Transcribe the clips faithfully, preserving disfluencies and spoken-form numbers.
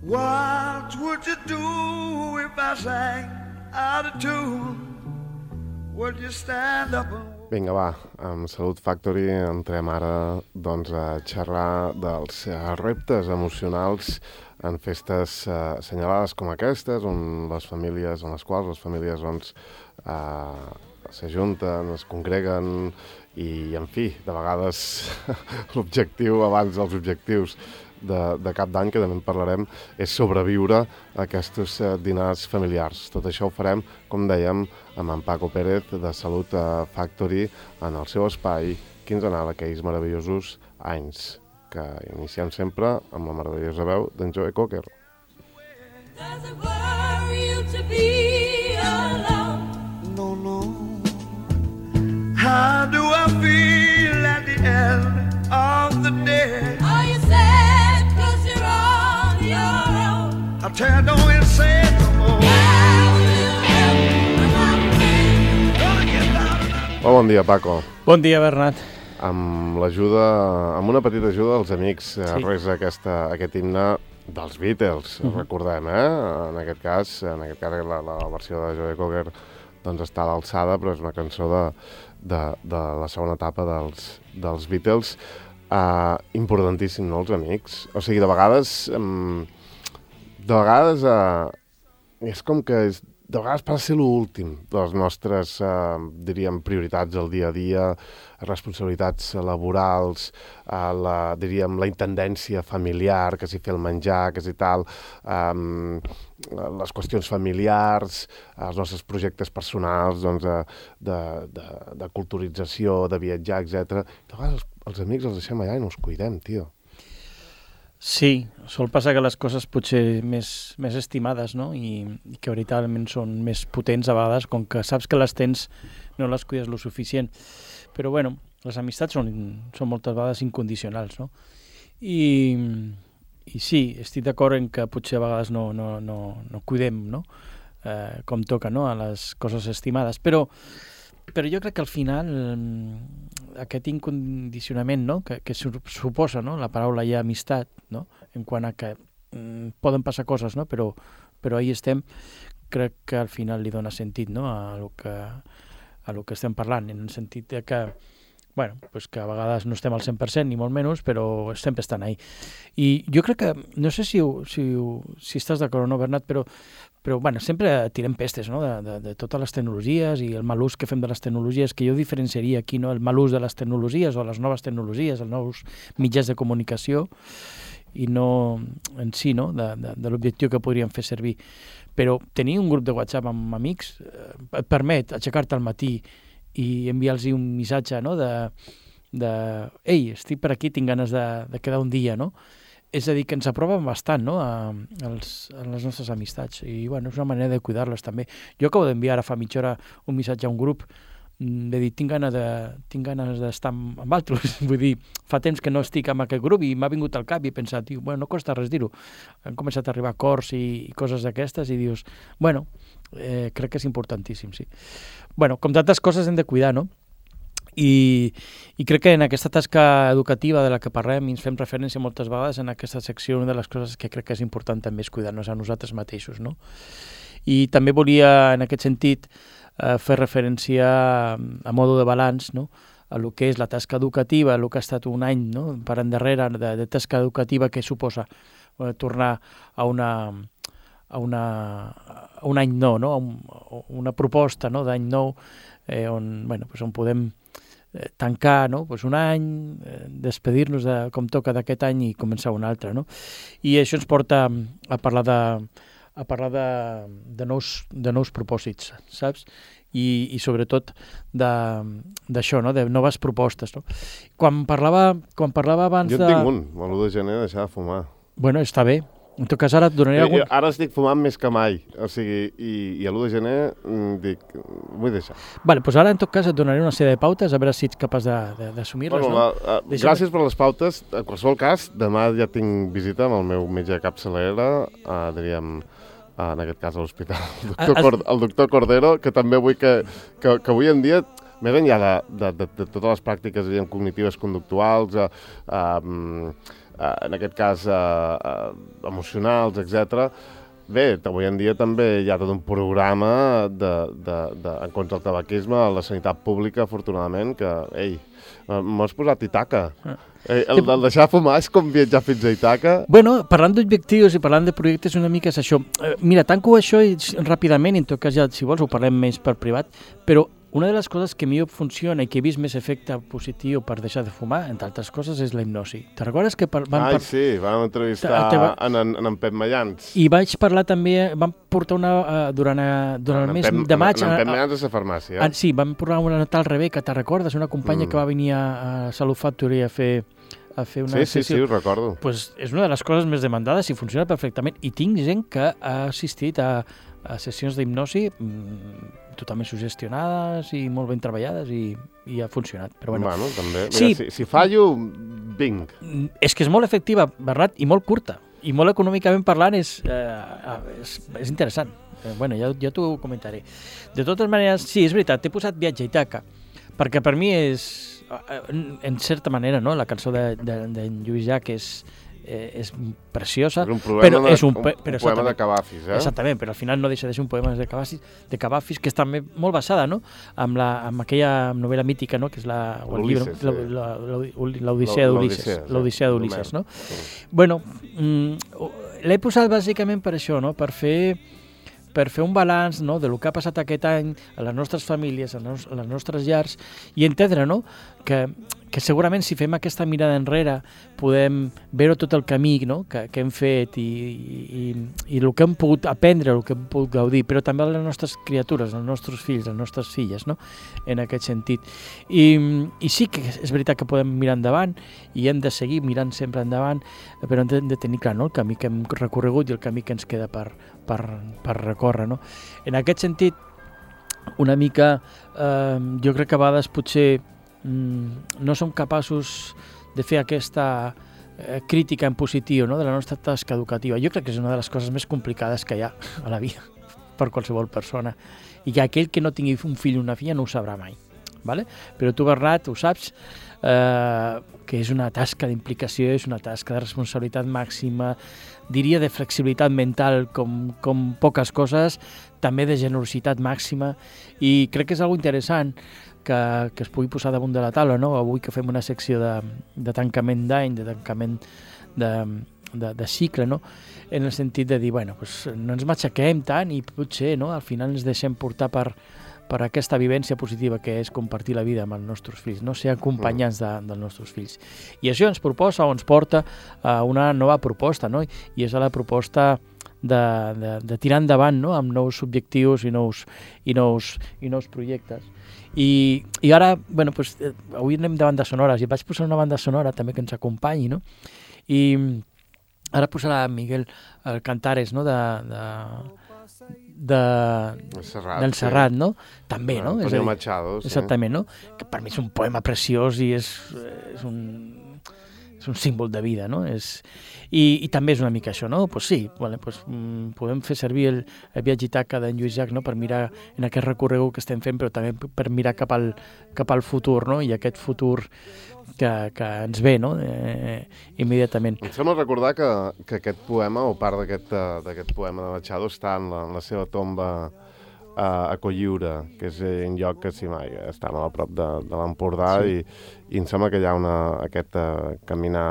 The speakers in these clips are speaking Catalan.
What would you do if I sang out of tune? Would you stand up and... Vinga, va, amb Salut Factory entrem ara doncs, a xerrar dels reptes emocionals en festes eh, assenyalades com aquestes, on les famílies, en les quals les famílies doncs, eh, s'ajunten, es congreguen i, en fi, de vegades l'objectiu abans dels objectius de, de cap d'any, que també en parlarem, és sobreviure a aquests eh, dinars familiars. Tot això ho farem, com dèiem, amb en Paco Pérez de Salut Factory en el seu espai quinzenal, aquells meravellosos anys, que iniciem sempre amb la meravellosa veu d'en Joe Cocker. Does it worry you to be alone? No, no. How do I feel at the end of the day? Are you sad 'cause you're on your own? I tell you, don't even say it no more. How will you help without me? Gonna get down and Molt bon dia, Paco. Bon dia, Bernat. Amb l'ajuda, amb una petita ajuda dels amics, sí. Res aquesta, aquest himne dels Beatles, uh-huh. Recordem, eh? En aquest cas, en aquest cas la, la versió de Joe Cocker doncs està a l'alçada, però és una cançó de, de, de la segona etapa dels, dels Beatles. Uh, importantíssim, no, els amics? O sigui, de vegades, um, de vegades, uh, és com que és, de vegades passa ser l'últim de les nostres, uh, diríem, prioritats del dia a dia, responsabilitats laborals, uh, la, diríem, la intendència familiar, que si fer el menjar, que si tal, um, les qüestions familiars, els nostres projectes personals, doncs, de, de, de, de culturització, de viatjar, etcètera. De vegades els, els amics els deixem allà i no els cuidem, tio. Sí, sol passar que les coses potser més, més estimades, no? I, i que veritablement són més potents a vegades, com que saps que les tens, no les cuides lo suficient. Però bueno, les amistats són, són moltes vegades incondicionals, no? I, i sí, estic d'acord en que potser a vegades no, no, no, no cuidem, no? Eh, com toca, no? A les coses estimades, però però jo crec que al final aquest incondicionament, no? que, que suposa, no? La paraula ja amistat, no? En quant a que mm, poden passar coses, no? però, però ahí estem, crec que al final li dona sentit, no? a, lo que, a lo que estem parlant, en el sentit de que, bueno, pues que a vegades no estem al cent per cent ni molt menys, però sempre estan ahí. I jo crec que, no sé si, si, si estàs d'acord o no, Bernat, però Però, bueno, sempre tirem pestes, no?, de, de, de totes les tecnologies i el mal ús que fem de les tecnologies, que jo diferenciaria aquí, no?, el mal ús de les tecnologies o les noves tecnologies, els nous mitjans de comunicació, i no en si, no?, de, de, de l'objectiu que podríem fer servir. Però tenir un grup de WhatsApp amb amics eh, et permet aixecar-te al matí i enviar-los un missatge, no?, de, de ei, estic per aquí, tinc ganes de, de quedar un dia, no?, és a dir, que ens aproven bastant, no?, a, als, a les nostres amistats. I, bueno, és una manera de cuidar-les, també. Jo acabo d'enviar ara fa mitja hora un missatge a un grup de dir, tinc ganes de, tinc ganes d'estar amb, amb altres. Vull dir, fa temps que no estic amb aquest grup i m'ha vingut al cap i he pensat, tio, bueno, no costa res dir-ho. Han començat a arribar acords i, i coses d'aquestes i dius, bueno, eh, crec que és importantíssim, sí. Bueno, com tantes coses hem de cuidar, no? I, i crec que en aquesta tasca educativa de la que parlem i ens fem referència moltes vegades en aquesta secció, una de les coses que crec que és important també és cuidar-nos a nosaltres mateixos, no? I també volia, en aquest sentit, eh, fer referència a, a modo de balanç, no?, a lo que és la tasca educativa, a lo que ha estat un any, no?, per endarrere de, de tasca educativa que suposa eh, tornar a una... a, una, a un any nou, no?, a, un, a una proposta, no?, d'any nou, eh, on, bueno, pues on podem eh, tancar, no?, pues un any, eh, despedir-nos de, com toca d'aquest any i començar un altre, no? I això ens porta a parlar de, a parlar de, de, nous, de nous propòsits, saps? I, i sobretot d'això, no?, de noves propostes, no? Quan parlava, quan parlava abans de... Jo en tinc un, l'u de gener, deixar de fumar. Bueno, està bé. En tot cas, ara et donaré algun... Ara estic fumant més que mai, o sigui, i, i a l'u de gener dic, vull deixar. Vale, doncs ara en tot cas et donaré una sèrie de pautes, a veure si ets capaç d'assumir-les, bueno, no? La, uh, gràcies per les pautes. En qualsevol cas, demà ja tinc visita amb el meu metge de capçalera, uh, diríem, uh, en aquest cas a l'hospital, el, doctor Cor el doctor Cordero, que també vull que, que, que avui en dia, més enllà de, de, de, de totes les pràctiques, diríem, cognitives conductuals, uh, um, eh, en aquest cas, eh, eh, emocionals, etcètera. Bé, avui en dia també hi ha tot un programa de, de, de, en contra del tabaquisme a la sanitat pública, afortunadament, que, ei, m'has posat Ítaca. Eh, el, el deixar fumar és com viatjar fins a Ítaca. Bueno, parlant d'objectius i parlant de projectes, una mica és això. Eh, mira, tanco això i, ràpidament, i en tot cas ja, si vols, ho parlem més per privat, però una de les coses que millor funciona i que he vist més efecte positiu per deixar de fumar, entre altres coses, és la hipnosi. Te recordes que par vam... Ai, par sí, vam entrevistar te va... en, en, en Pep Mallans. I vaig parlar també, vam portar una, uh, durant, uh, durant el mes Pep, de maig... En, en Pep Mallans és a farmàcia. Uh, sí, vam portar una tal Rebeca, te recordes? Una companya mm. que va venir a, a Salut Factory a fer... a fer una sí, sí, sessió. sí, ho recordo. Pues és una de les coses més demandades i funciona perfectament. I tinc gent que ha assistit a, a sessions d'hipnosi mmm, totalment sugestionades i molt ben treballades i, i ha funcionat. Però bueno, bueno també. Mira, sí, si, si fallo, vinc. És que és molt efectiva, Bernat, i molt curta. I molt econòmicament parlant és, eh, és, és interessant. Eh, bueno, ja, ja t'ho comentaré. De totes maneres, sí, és veritat, t'he posat Viatge a Ítaca, perquè per mi és, en certa manera, no? La cançó de, de, de Lluís Llach és, eh, és preciosa, és un però de, és un, un, però un poema de Cavafis, eh? Exactament, però al final no deixa de ser un poema de Cavafis, de Cavafis que és també molt basada, no? Amb, la, amb aquella novel·la mítica, no? Que és la, o el llibre, sí. l'Odissea d'Ulisses, l'Odissea d'Ulisses, no? Sí. Bueno, mm, l'he posat bàsicament per això, no? Per fer per fer un balanç, no, de lo que ha passat aquest any a les nostres famílies, a, nos, a les nostres llars, i entendre, no, que, que segurament si fem aquesta mirada enrere podem veure tot el camí, no, que, que hem fet i, i, i el que hem pogut aprendre, el que hem pogut gaudir, però també les nostres criatures, els nostres fills, les nostres filles, no, en aquest sentit. I, i sí que és veritat que podem mirar endavant i hem de seguir mirant sempre endavant, però hem de, de tenir clar, no, el camí que hem recorregut i el camí que ens queda per, per, per recórrer, no? En aquest sentit, una mica, eh, jo crec que a vegades potser mm, no som capaços de fer aquesta eh, crítica en positiu, no?, de la nostra tasca educativa. Jo crec que és una de les coses més complicades que hi ha a la vida per qualsevol persona, i que aquell que no tingui un fill o una filla no ho sabrà mai, vale? Però tu, Bernat, ho saps, eh, que és una tasca d'implicació, és una tasca de responsabilitat màxima, diria de flexibilitat mental com, com poques coses, també de generositat màxima, i crec que és algo interessant que, que es pugui posar damunt de la taula, no? Avui que fem una secció de, de tancament d'any, de tancament de, de, de cicle, no? En el sentit de dir, bueno, pues no ens matxaquem tant i potser, no?, al final ens deixem portar per, per aquesta vivència positiva que és compartir la vida amb els nostres fills, no ser acompanyants de, dels nostres fills. I això ens proposa o ens porta a una nova proposta, no? I és la proposta de, de, de tirar endavant, no?, amb nous objectius i nous, i nous, i nous projectes. I, i ara, bueno, pues, eh, avui anem de bandes sonores i vaig posar una banda sonora també que ens acompanyi, no? I ara posarà Miguel el Cantares, no?, de... de de, Serrat, del Serrat, sí. no? També, no? Antonio és dir, Machado, sí. Exactament, no? Que per mi és un poema preciós i és, és, un, és un símbol de vida, no? És, i, i també és una mica això, no? Pues sí, vale, pues, mm, podem fer servir el, el Viatge a Ítaca d'en Lluís Llach, no?, per mirar en aquest recorregut que estem fent, però també per mirar cap al, cap al futur, no? I aquest futur que, que ens ve, no?, eh, immediatament. Em sembla recordar que, que aquest poema, o part d'aquest poema de Machado, està en la, en la seva tomba a, a Colliure, que és un lloc que sí, mai, està molt a prop de, de l'Empordà, sí. i, i em sembla que hi ha una, aquest uh, caminar...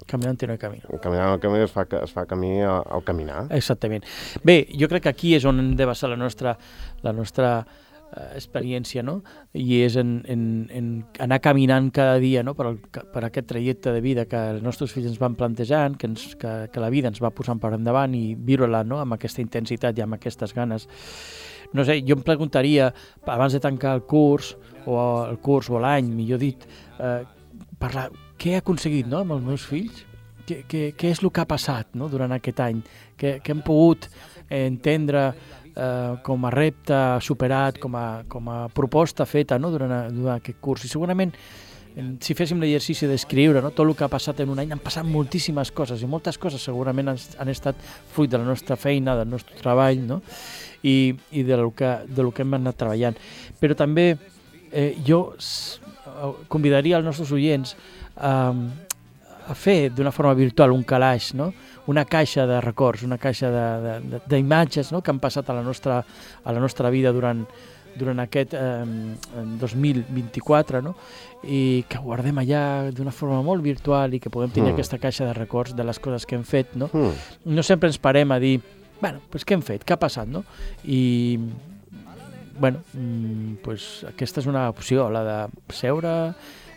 Caminant no hi camí. Caminant al camí es fa, es fa camí al, al caminar. Exactament. Bé, jo crec que aquí és on hem de basar la nostra, la nostra uh, experiència, no? I és en, en, en anar caminant cada dia, no?, per, el, per aquest trajecte de vida que els nostres fills ens van plantejant, que, ens, que, que la vida ens va posant per endavant i viure-la, no?, amb aquesta intensitat i amb aquestes ganes. No sé, jo em preguntaria, abans de tancar el curs, o el curs o l'any, millor dit, eh, parlar, què he aconseguit, no?, amb els meus fills? Què, què, què és el que ha passat, no?, durant aquest any? Què, què hem pogut entendre eh, com a repte superat, com a, com a proposta feta, no?, durant, durant aquest curs? I segurament, si féssim l'exercici d'escriure, no?, tot el que ha passat en un any, han passat moltíssimes coses, i moltes coses segurament han, han estat fruit de la nostra feina, del nostre treball, no?, i, i de lo que, de lo que hem anat treballant. Però també eh, jo convidaria els nostres oients a, a fer d'una forma virtual un calaix, no? Una caixa de records, una caixa d'imatges, no? Que han passat a la nostra, a la nostra vida durant, durant aquest eh, dos mil vint-i-quatre, no? I que guardem allà d'una forma molt virtual i que podem tenir mm. aquesta caixa de records de les coses que hem fet, no? Mm. No sempre ens parem a dir, bueno, pues què hem fet, què ha passat, no? I, bueno, pues aquesta és una opció, la de seure,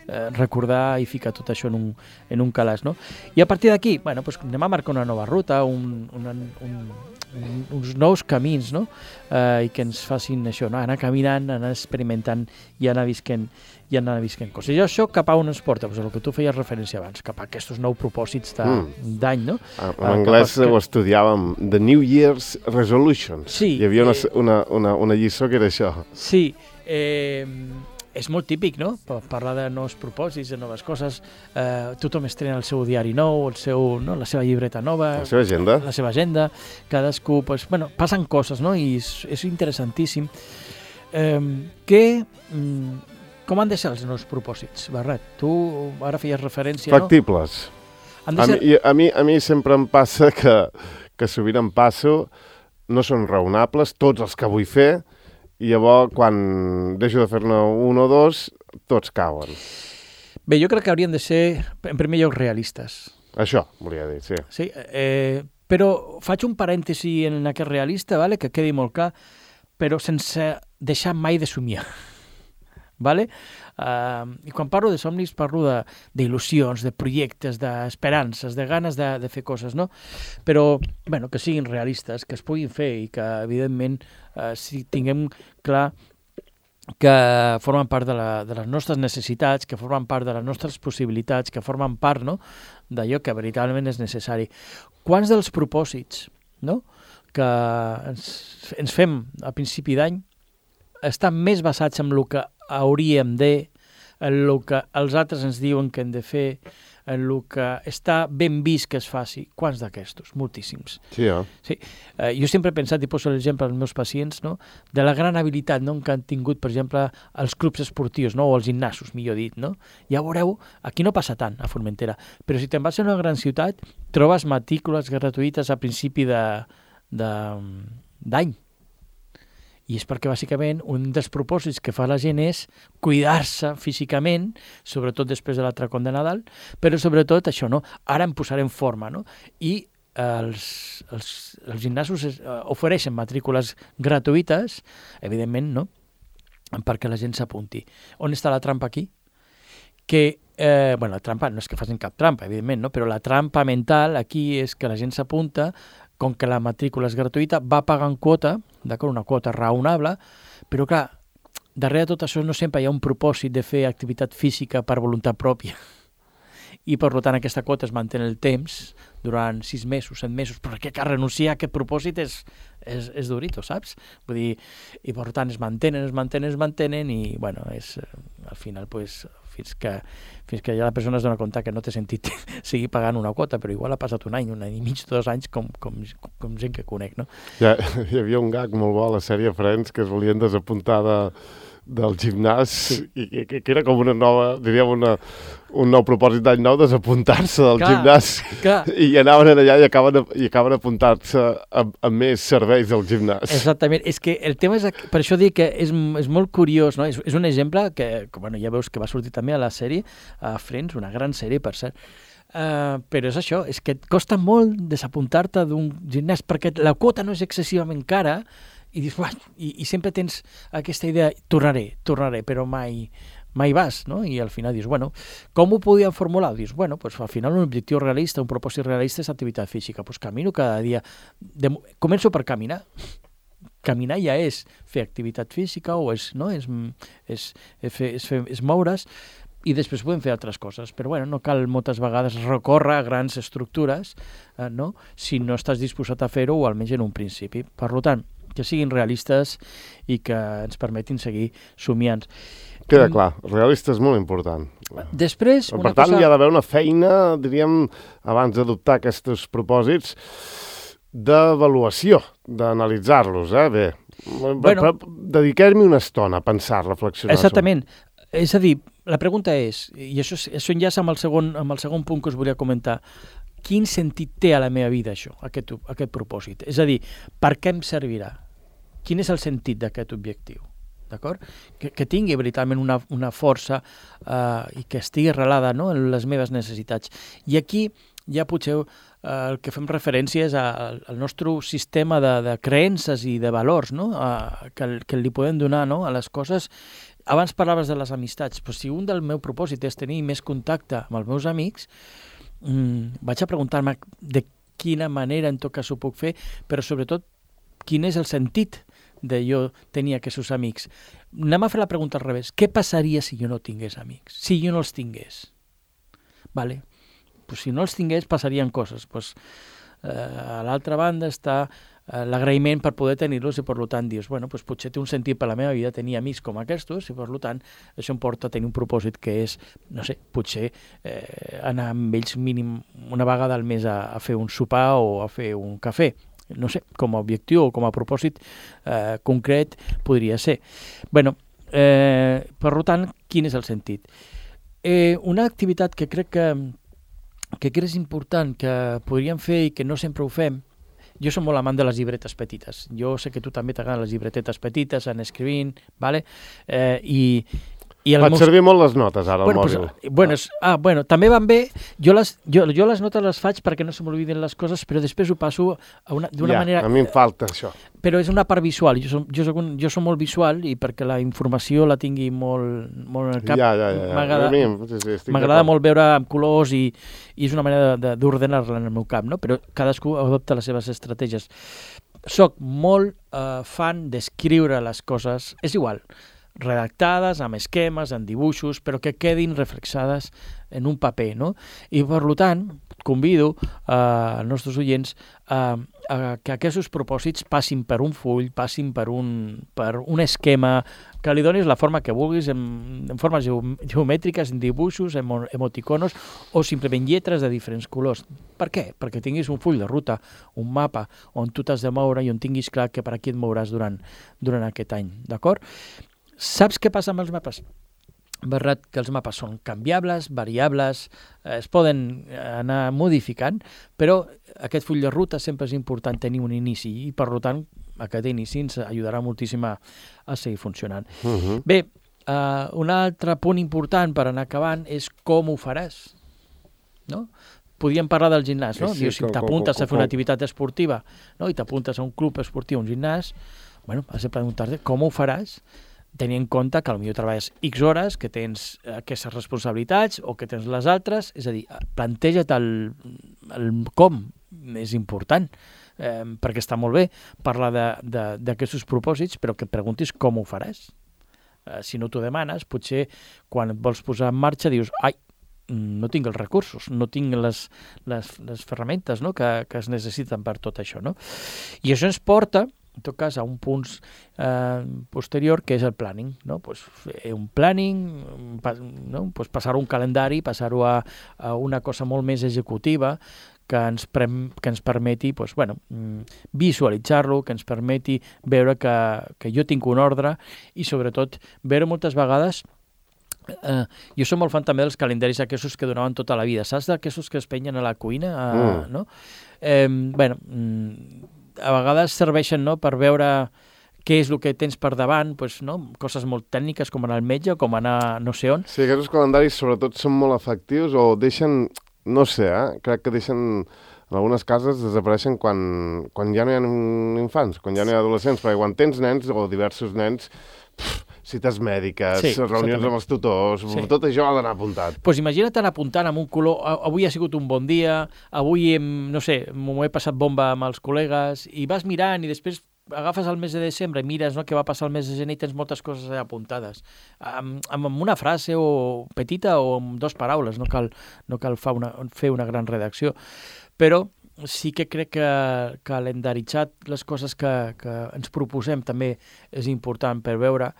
eh, recordar i ficar tot això en un, en un calaix, no? I a partir d'aquí, bueno, pues anem a marcar una nova ruta, un, un, un, un, uns nous camins, no? Eh, I que ens facin això, no? Anar caminant, anar experimentant i anar visquent, i anar visquent coses. I això cap a on ens porta? Pues el que tu feies referència abans, cap a aquests nous propòsits d'any, mm. no? En uh, anglès a... ho estudiàvem, The New Year's Resolutions. Sí. Hi havia una, eh... una, una, una lliçó que era això. Sí, eh... és molt típic, no? Parlar de nous propòsits, de noves coses. Eh, tothom estrena el seu diari nou, el seu, no? La seva llibreta nova. La seva agenda. La seva agenda. Cadascú, pues, bueno, passen coses, no? I és, és interessantíssim. Eh, que, mm, com han de ser els nous propòsits, Barret? Tu ara feies referència, Factibles. No? A, ser... mi, a, mi, a mi sempre em passa que, que sovint em passo, no són raonables tots els que vull fer, i llavors, quan deixo de fer-ne un o dos, tots cauen. Bé, jo crec que haurien de ser, en primer lloc, realistes. Això, volia dir, sí. Sí, eh, però faig un parèntesi en aquest realista, vale? Que quedi molt clar, però sense deixar mai de somiar. Vale? Uh, I quan parlo de somnis parlo d'il·lusions, de, de projectes, d'esperances, de ganes de, de fer coses, no? Però, bueno, que siguin realistes, que es puguin fer i que, evidentment, uh, si tinguem clar que formen part de, la, de les nostres necessitats, que formen part de les nostres possibilitats, que formen part, no?, d'allò que veritablement és necessari. Quants dels propòsits, no?, que ens, ens fem a principi d'any estan més basats en el que hauríem de, en el que els altres ens diuen que hem de fer, en el que està ben vist que es faci. Quants d'aquestos? Moltíssims. Sí, eh? Sí. Eh, jo sempre he pensat, i poso l'exemple als meus pacients, no?, de la gran habilitat, no?, que han tingut, per exemple, els clubs esportius, no?, o els gimnasos, millor dit, no? Ja veureu, aquí no passa tant, a Formentera, però si te'n vas a una gran ciutat, trobes matrícules gratuïtes a principi de, de, d'any. I és perquè, bàsicament, un dels propòsits que fa la gent és cuidar-se físicament, sobretot després de l'atracón de Nadal, però sobretot això, no? Ara em posaré en forma, no? I els, els, els gimnasos es, uh, ofereixen matrícules gratuïtes, evidentment, no?, perquè la gent s'apunti. On està la trampa aquí? Que, eh, bueno, la trampa no és que facin cap trampa, evidentment, no? Però la trampa mental aquí és que la gent s'apunta, com que la matrícula és gratuïta, va pagant quota, d'acord, una quota raonable, però clar, darrere de tot això no sempre hi ha un propòsit de fer activitat física per voluntat pròpia. I per tant aquesta quota es manté en el temps durant sis mesos, set mesos, perquè que renunciar a aquest propòsit és, és, és durito, saps? Vull dir, i per tant es mantenen, es mantenen, es mantenen i, bueno, és, al final, pues, fins que, fins que ja la persona es dona compte que no té sentit seguir pagant una quota, però igual ha passat un any, un any i mig, dos anys, com, com, com gent que conec, no? Ja, hi havia un gag molt bo a la sèrie Friends que es volien desapuntar de, del gimnàs, sí. i que, que era com una nova, diríem, una, un nou propòsit d'any nou, desapuntar-se del clar, gimnàs, clar. I anaven allà i acaben, i acaben apuntar-se a, a més serveis del gimnàs. Exactament, és que el tema és, per això dic que és, és molt curiós, no? És, és un exemple que, que, bueno, ja veus que va sortir també a la sèrie, a Friends, una gran sèrie, per cert, uh, però és això, és que et costa molt desapuntar-te d'un gimnàs, perquè la quota no és excessivament cara, i dius, i, i sempre tens aquesta idea, tornaré, tornaré, però mai, mai vas, no? I al final dius, bueno, com ho podíem formular? Dius, bueno, pues al final un objectiu realista, un propòsit realista és activitat física, pues camino cada dia, de, començo per caminar, caminar ja és fer activitat física o és, no? és, és, és, fer, és, fer, és moure's, i després podem fer altres coses, però bueno, no cal moltes vegades recórrer a grans estructures, eh, no? Si no estàs disposat a fer-ho, o almenys en un principi. Per tant, que siguin realistes i que ens permetin seguir somiant. Queda clar, realista és molt important. Després, per una tant, cosa... hi ha d'haver una feina, diríem, abans d'adoptar aquests propòsits, d'avaluació, d'analitzar-los, eh? Bé, bueno, dediquem-hi una estona a pensar, reflexionar. Exactament. És a dir, la pregunta és, i això, això enllaça amb el, segon, amb el segon punt que us volia comentar, quin sentit té a la meva vida això, aquest, aquest propòsit? És a dir, per què em servirà? Quin és el sentit d'aquest objectiu? D'acord? Que, que tingui veritablement una, una força eh, i que estigui arrelada, no?, en les meves necessitats. I aquí ja potser eh, el que fem referència és al, al nostre sistema de, de creences i de valors, no?, eh, que, que li podem donar, no?, a les coses. Abans parlaves de les amistats, però si un del meu propòsit és tenir més contacte amb els meus amics, mm, vaig a preguntar-me de quina manera en tot cas ho puc fer, però sobretot quin és el sentit de jo tenir aquests amics. Anem a fer la pregunta al revés. Què passaria si jo no tingués amics? Si jo no els tingués? Vale. Pues si no els tingués, passarien coses. Pues, eh, a l'altra banda està eh, l'agraïment per poder tenir-los i per tant dius, bueno, pues potser té un sentit per la meva vida tenir amics com aquests i per tant això em porta a tenir un propòsit que és, no sé, potser eh, anar amb ells mínim una vegada al mes a, a fer un sopar o a fer un cafè. No sé, com a objectiu o com a propòsit eh, concret podria ser. Bueno, eh, per tant, quin és el sentit? Eh, una activitat que crec que, que crec és important, que podríem fer i que no sempre ho fem, jo som molt amant de les llibretes petites. Jo sé que tu també t'agraden les llibretetes petites, en escrivint, vale? eh, i I Faig meus... servir molt les notes ara bueno, al mòbil. Pues, bueno, és, ah, bueno, també van bé. Jo les, jo, jo les notes les faig perquè no se m'olviden les coses, però després ho passo d'una ja, manera... a mi em falta això. Però és una part visual. Jo som, jo soc, un, jo soc molt visual i perquè la informació la tingui molt, molt en el cap. Ja, ja, ja. M'agrada sí, sí, molt veure amb colors i, i és una manera d'ordenar-la en el meu cap, no? Però cadascú adopta les seves estratègies. Soc molt eh, fan d'escriure les coses, és igual, redactades, amb esquemes, amb dibuixos, però que quedin reflexades en un paper, no? I per tant, convido eh, als nostres oients a, a que aquests propòsits passin per un full, passin per un, per un esquema, que li donis la forma que vulguis, en, en formes geomètriques, en dibuixos, en emoticonos o simplement lletres de diferents colors. Per què? Perquè tinguis un full de ruta, un mapa on tu t'has de moure i on tinguis clar que per aquí et mouràs durant, durant aquest any, d'acord? Saps què passa amb els mapes? Verdad que els mapes són canviables, variables, eh, es poden anar modificant, però aquest full de ruta sempre és important tenir un inici i, per tant, aquest inici ens ajudarà moltíssim a, a seguir funcionant. Uh-huh. Bé, eh, un altre punt important per anar acabant és com ho faràs, no? Podríem parlar del gimnàs, no? Sí, sí, Dius, si t'apuntes a fer una activitat esportiva, no? I t'apuntes a un club esportiu, un gimnàs, bueno, has de preguntar-te com ho faràs, tenir en compte que potser treballes X hores, que tens aquestes responsabilitats o que tens les altres, és a dir, planteja't el, el com, és important, eh, perquè està molt bé parlar d'aquests propòsits, però que et preguntis com ho faràs. Eh, si no t'ho demanes, potser quan et vols posar en marxa dius, ai, no tinc els recursos, no tinc les, les, les ferramentes, no?, que, que es necessiten per tot això, no? I això ens porta, en tot cas, a un punt eh, posterior, que és el planning, no? Pues fer un planning, pa, no? Pues passar un calendari, passar-ho a, a una cosa molt més executiva, que ens, pre que ens permeti pues, bueno, visualitzar-lo, que ens permeti veure que, que jo tinc un ordre i, sobretot, veure moltes vegades. Uh, jo som molt fan també dels calendaris aquests que donaven tota la vida, saps d'aquests que es penyen a la cuina? Uh, mm. No? Eh, bueno, a vegades serveixen, no?, per veure què és el que tens per davant, pues, no? Coses molt tècniques com anar al metge, com anar no sé on. Sí, aquests calendaris sobretot són molt efectius o deixen, no sé, eh? crec que deixen, en algunes cases desapareixen quan, quan ja no hi ha infants, quan ja no hi ha adolescents, perquè quan tens nens o diversos nens, pff, cites mèdiques, sí, reunions exactament. Amb els tutors, sí. Tot això ha d'anar apuntat. Doncs pues imagina't anar apuntant amb un color, avui ha sigut un bon dia, avui, hem, no sé, m'ho he passat bomba amb els col·legues, i vas mirant i després agafes el mes de desembre i mires, no?, què va passar el mes de gener i tens moltes coses apuntades. Amb, amb una frase o petita o amb dues paraules, no cal, no cal fa una, fer una gran redacció. Però sí que crec que calendaritzar les coses que, que ens proposem també és important per veure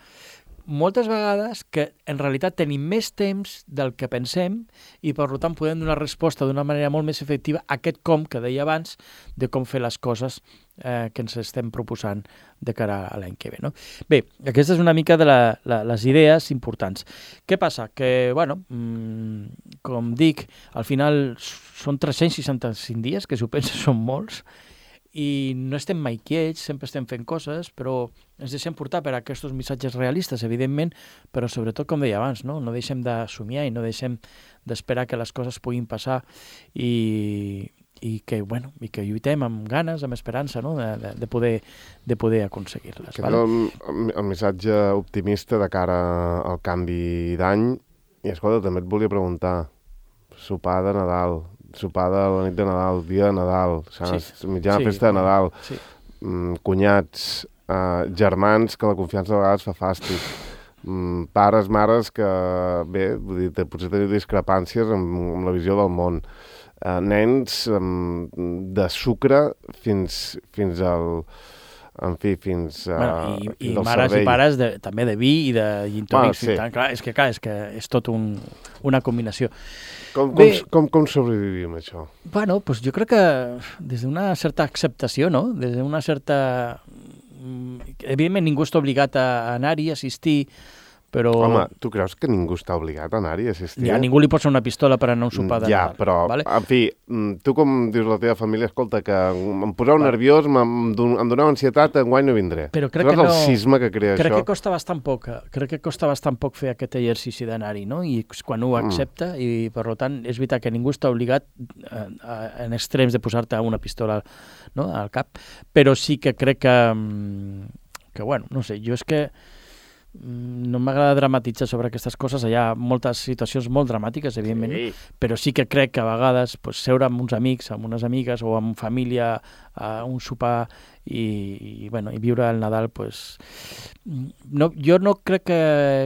moltes vegades que en realitat tenim més temps del que pensem i per tant podem donar resposta d'una manera molt més efectiva a aquest com que deia abans de com fer les coses eh, que ens estem proposant de cara a l'any que ve. No? Bé, aquesta és una mica de la, la, les idees importants. Què passa? Que, bueno, mmm, com dic, al final són tres-cents seixanta-cinc dies, que si ho penses són molts, i no estem mai quiets, sempre estem fent coses, però ens deixem portar per aquests missatges realistes, evidentment, però sobretot, com deia abans, no, no deixem de somiar i no deixem d'esperar que les coses puguin passar i, i, que, bueno, i que lluitem amb ganes, amb esperança, no, de, de, poder, de poder aconseguir-les. Aquest vale? és el, el missatge optimista de cara al canvi d'any. I, escolta, també et volia preguntar, sopar de Nadal, sopar de la nit de Nadal, dia de Nadal, sí. mitjana sí. festa de Nadal, sí. mm, cunyats, eh, germans, que la confiança a vegades fa fàstic, mm, pares, mares que, bé, vull dir, potser teniu discrepàncies amb, amb la visió del món, eh, nens mm, de sucre fins, fins al... en fi, fins, uh, bueno, i, fins i al mares cervell. i pares de, també de vi i de gin tònics. Bueno, sí. Tant, clar, és que clar, és que és tot un, una combinació. Com, Bé, com, com, com sobrevivim això? Bueno, pues jo crec que des d'una certa acceptació, no? Des d'una certa... Evidentment ningú està obligat a anar-hi, a assistir, però... Home, tu creus que ningú està obligat a anar-hi, a assistir? Ja, ningú li posa una pistola per anar a un sopar de ja, Nadal. però, vale? en fi, tu com dius la teva família, escolta, que em poseu vale. nerviós, em, em doneu ansietat, enguany no vindré. Però crec Saps que no... el sisme que crea crec això? que costa bastant poc, crec que costa bastant poc fer aquest exercici d'anar-hi, no? I quan ho accepta, mm. i per tant, és veritat que ningú està obligat a, a, en extrems de posar-te una pistola, no?, al cap, però sí que crec que, que bueno, no sé, jo és que no m'agrada dramatitzar sobre aquestes coses, hi ha moltes situacions molt dramàtiques, evidentment, sí. però sí que crec que a vegades pues, seure amb uns amics, amb unes amigues o amb família a un sopar i, i, bueno, i viure el Nadal, pues, no, jo no crec que,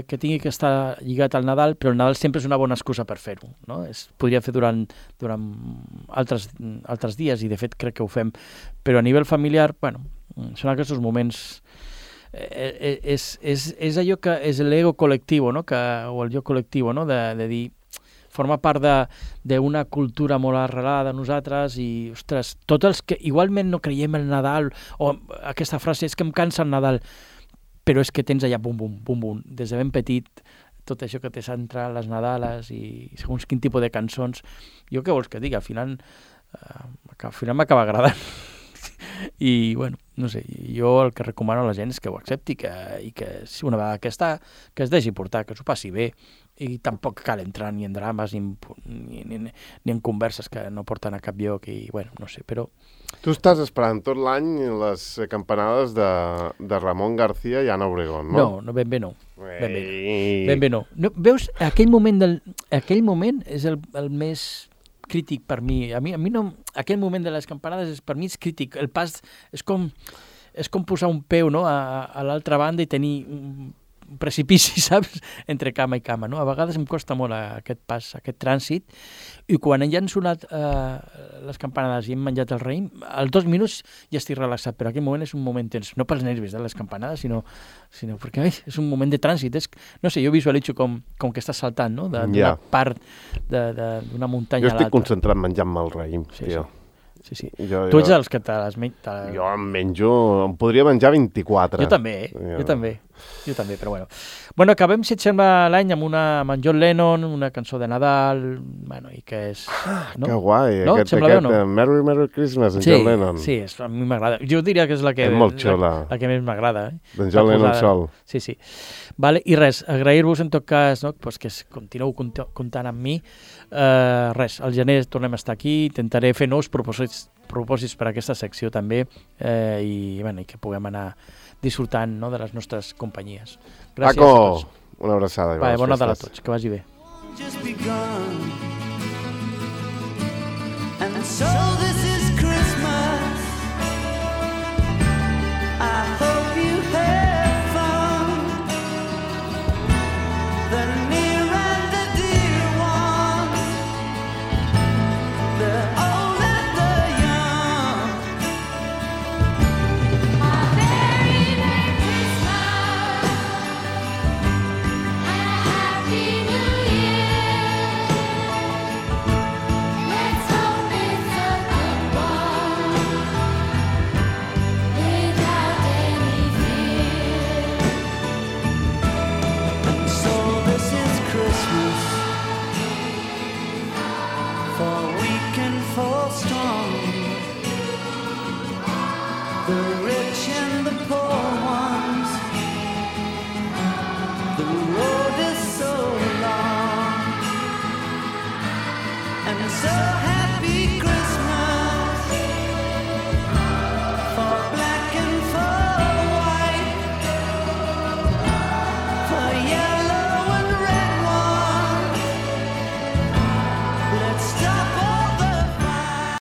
que tingui que estar lligat al Nadal, però el Nadal sempre és una bona excusa per fer-ho. No? Es podria fer durant, durant altres, altres dies i de fet crec que ho fem, però a nivell familiar, bueno, són aquests moments... Eh, és, és, és allò que és l'ego col·lectiu, no? que, o el jo col·lectiu, no? de, de dir, forma part d'una cultura molt arrelada a nosaltres i, ostres, tots els que igualment no creiem el Nadal, o aquesta frase és que em cansa el Nadal, però és que tens allà bum, bum, bum, bum, des de ben petit, tot això que te centra les Nadales i segons quin tipus de cançons. Jo què vols que digui? Al final, eh, al final m'acaba agradant. I, bueno, no sé, jo el que recomano a la gent és que ho accepti que, i que si una vegada que està, que es deixi portar, que s'ho passi bé i tampoc cal entrar ni en drames ni en, ni, ni, ni en converses que no porten a cap lloc i, bueno, no sé, però... Tu estàs esperant tot l'any les campanades de, de Ramon García i Ana Obregón, no? No, no, ben bé no. Ben bé no. Ben bé no. no. Veus, aquell moment, del, aquell moment és el, el més... crític per mi. A mi, a mi no... Aquell moment de les campanades és, per mi és crític. El pas és com, és com posar un peu, no?, a, a l'altra banda i tenir un precipici, saps?, entre cama i cama, no? A vegades em costa molt aquest pas, aquest trànsit, i quan ja han sonat eh, les campanades i hem menjat el raïm, als dos minuts ja estic relaxat, però aquell moment és un moment tens, no pels nervis de les campanades, sinó, sinó perquè ai, és un moment de trànsit. És, no sé, jo visualitzo com, com que estàs saltant, no?, d'una yeah. part d'una muntanya a l'altra. Jo estic concentrat menjant-me el raïm, sí, tio. Sí. Sí, sí. Jo, tu ets jo... dels que te les menys... Te... Jo em menjo... Em podria menjar vint-i-quatre. Jo també, eh? jo, jo també. Jo també, però bueno. Bueno, acabem, si et sembla, l'any amb una amb John Lennon, una cançó de Nadal, bueno, i que és... No? Que guai, no? aquest, aquest no? Merry Merry Christmas, en sí, John Lennon. Sí, és, a mi m'agrada. Jo diria que és la que, és molt xula. La, la que més m'agrada. Eh? D'en John Lennon sol. Sí, sí. Vale, i res, agrair-vos en tot cas, no? Pues que continueu comptant amb mi. Uh, res, al gener tornem a estar aquí, intentaré fer nous propòsits, propòsits per a aquesta secció també eh, i, bueno, i que puguem anar disfrutant, no?, de les nostres companyies. Gràcies Paco, a tots. Una abraçada. Va, bon Nadal a tots, que vagi bé. Just begun. And so this is Christmas. I hope you have fun. The near and the dear ones, the old and the young. A very Merry Christmas. for weak and for strong, the rich and the poor ones. The road is so long and so happy.